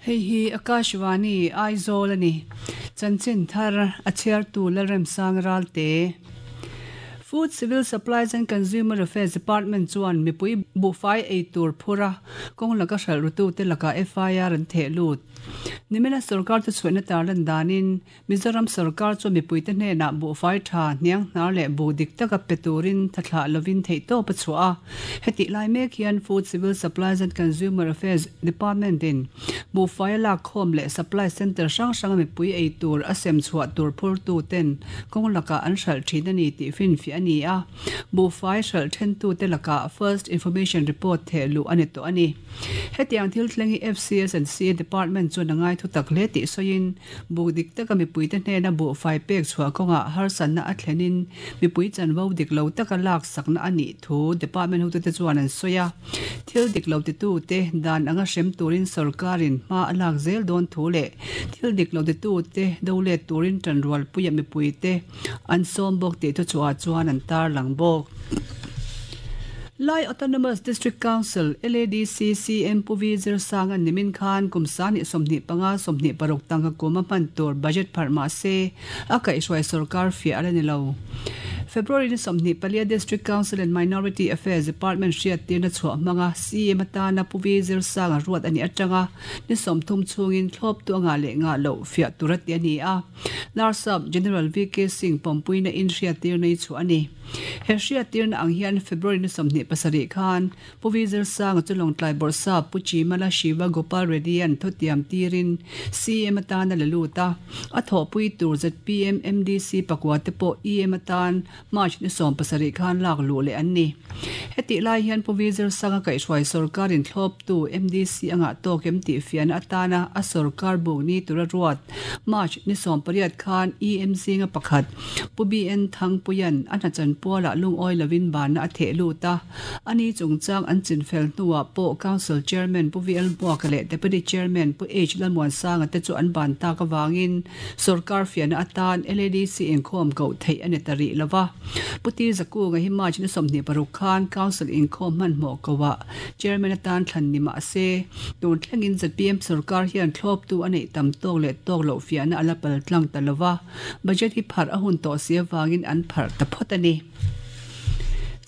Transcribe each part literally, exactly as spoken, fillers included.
Hei hi Akashvani Aizawl ani chanchin thar a chhiar tu Lalremsang Ralte Food Civil Supplies and Consumer Affairs Department chuan mipui buhfai ei tur phura kawng laka hralh rutu te laka F I R an theh lut. Nimina sarkar chu chhuahna tarlan danin Mizoram sarkar chu mipui te hnenah buhfai tha hniang hnar leh bu dik taka pe turin thathlah lovin theih tawp a chhuah a. Heti lai mek hian Food Civil Supplies and Consumer Affairs Department in buhfai a lak khawm leh supply center hrang hranga mipui ei tur a sem chhuah tur phur tu ten kawng laka an hralh thin ani tih finfiah ani a. Buhfai hralh then tu te laka First Information Report theh luh ani tawh ani. Hetiang thil thleng hi F C S and C A Department chuan a ngai thu tak hle tih sawiin buk dik taka mipui te hnena buhfai pek chhuah kawngah harsatna a thlenin mipui chanvo dik lo taka lak sakna ani thu department hotu te chuan an sawi a. Thil dik lo ti tu te dan anga hrem turin sarkarin hma a lak zel dawn thu leh thil dik lo ti tu te do let turin tanrual puia mipui te an sawm bawk tih thu chhuah chuan an tar lang bawk. Lai Autonomous District Council L A D C C M Puvi Zirsang an nimin khan kumsani somni panga somni paruk tangka kuma hman tur budget phar ma se a kaihhruai sarkar fiah ala ni lo. February ni somni palia District Council and Minority Affairs Department hriat tirna chhuah hmanga C M atana Puvi Zirsang a ruat ani atanga ni sawmthum chungin thlawp tu anga leh nga lo fiah tur ati ani a. Larsap General V K Singh pawmpuina in hriat tirna hi chu ani. He hriat tirna ang hian February ni sawmhnih pasarih khan Puvi Zirsang chu Lawngtlai Bawrhsa Pu Chimala Shiva Gopal Reddy an thutiam tirin C M atana la lut a. A thawhpui tur Z P M M D C pakua te pawh E M atan March ni sawm pasarih khan lak luh leh an ni. Heti lai hian Puvi Zirsang a kaihhruai sarkarin thlawp tu M D C anga tawk em tih fiahna atana a sarkar buk ni tura ruat March ni sawm pariat khan E M zinga pakhat Pu B N Thangpuian a hnachan puala lungawi lovin banna a theh lut a. Ani chungchang an chinfel hnuah pawh Council Chairman Pu V L Hmuaka leh Deputy Chairman Pu H Lalmuansanga te chu an ban tak awangin sarkar fiahna atan L A D C inkhawm koh theih ani ta rih lova. Puti Zakunga hi March ni sawmhnih paruk khan Council inkhawm hmanhmawh koh ah Chairman atan thlan ni mah se tun thlengin Z P M sarkar hian thlawp tu a neih tam tawk leh tawk loh fiahna ala pal tlang ta lova. Budget hi phar a hun tawh si awangin an phar ta phawt ani.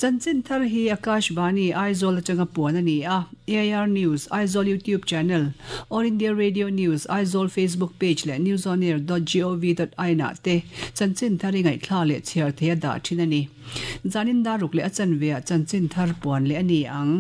Chanchin thar hi Akashvani Aizawl atanga puan ani a. A I R News Aizawl YouTube channel All India Radio News Aizawl Facebook page leh newsonair dot gov dot in ah te chanchin thar hi ngaihthla leh chhiar thei a dah thin ani. Zanin daruk leh a chanve ah chanchin thar puan leh ani ang.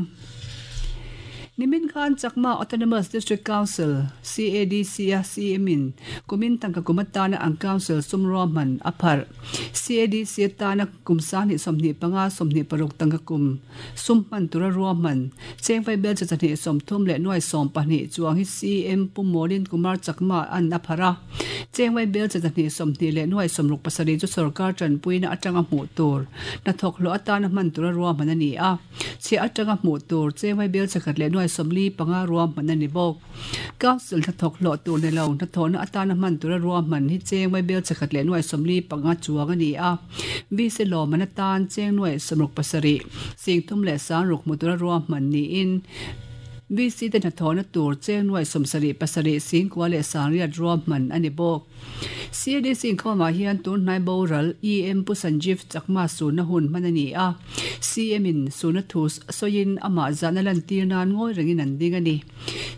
Nimin Khan Chakma Autonomous District Council C A D C a C M in kumin tangka kumatana ang council sumro man aphar C A D C atana kumsani somni panga somni paruk tangka kum summan tura ruaman chengfai bel chachani somthum le nuai som pahnih chuang hi C M Pumolin Kumar Chakma an aphara chengwai bel chachani somni le nuai somruk pasari chu sarkar chanpuina atanga hmu tur na thok lo atana man tura ruaman ani a che atanga hmu tur chengwai bel chakhat le nuai somli panga ruaman ani bawk. Council tha thok lo tur ne lo na thona atana man tura ruaman hi chengwai bel chakhat le nuai somli panga chuang ani a. V C lo man atan cheng nuai somruk pasari singthum le sang ruk mu tura ruaman ni in V C te na thona tur cheng nuai somsari pasari sing kwa le sangriat ruaman ani bawk. C A D C inkhawmah hian tun hnai boral E M Pu Sanjeev Chakma suna hun manani a. C M in suna thu soin ama zana lan tir nan ngawi rengin an ding ani.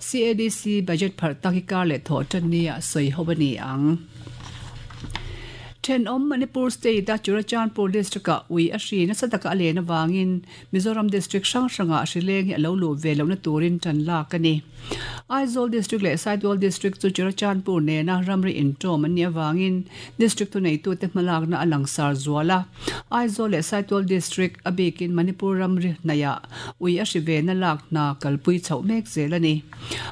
C A D C budget phar tak hi kar leh thaw tan nia sawi ho ani ang. Then om Manipur State a Churachandpur District a ui a hri na sataka a lena wangin Mizoram District hrang hranga a hri leng hi a lo lu ve lo na turin tan lak ani. Aizawl District leh Saitual District chu Churachandpur nena ramri intawm an ni awangin District tu nei tu te hmalak na a langsar zuala. Aizawl leh Saitual District a bikin Manipur ramri hnaiah ui a hri ve na lak na kalpui chhoh mek zel ani.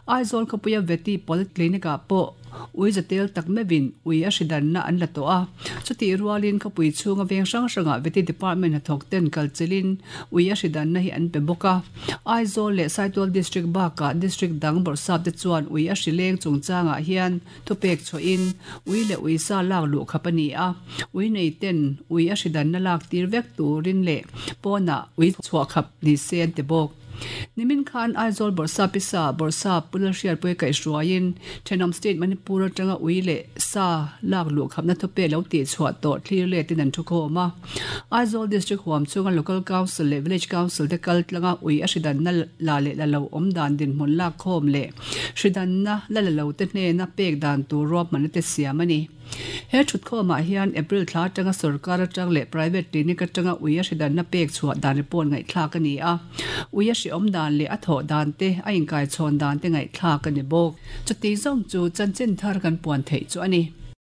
Aizawl khawpuia Veti Polyclinic ah pawh ui zatel tak mevin ui a hridan na an la to a. Chuti rualin khawpui chhunga veng hrang hranga Veti Department a thawk ten kalchelin ui a hridan na hi an pe bawk a. Aizawl leh Saitual District bakah District dang bawrhsap te chuan ui a hri leng chungchangah hian thupek chhoin ui leh ui sa lak luh khap ani a. Ui nei ten ui a hridan na lak tir vek turin leh pawnah ui chhuah khap ni se an ti bawk. Nimin khan Aizawl Bawrhsap Pisa Bawrhsap Pu Lalhriatpuia kaihhruaiin thenawm state Manipur atanga ui leh sa lak luh khapna thupe lo tih chhuah tawh thlir letin an thukhawm a. Aizawl District huam chunga Local Council leh Village Council te kal tlanga ui a hridanna la leh la lo awm dan dinhmun lak khawm leh hridanna la la lo te hnena pek dan tur ruahmanna te siam a ni. He thutkhawmah hian April thla atanga sorkar atang leh private clinic atanga ui a hridanna pek chhuah dan report ngaihthlak a ni a. Ui a hri awm dan leh a thawh dan te a inkaichhawn dan te ngaihthlak a ni bawk. Chuti zawng chu chanchin thar kan puan theih chu a ni.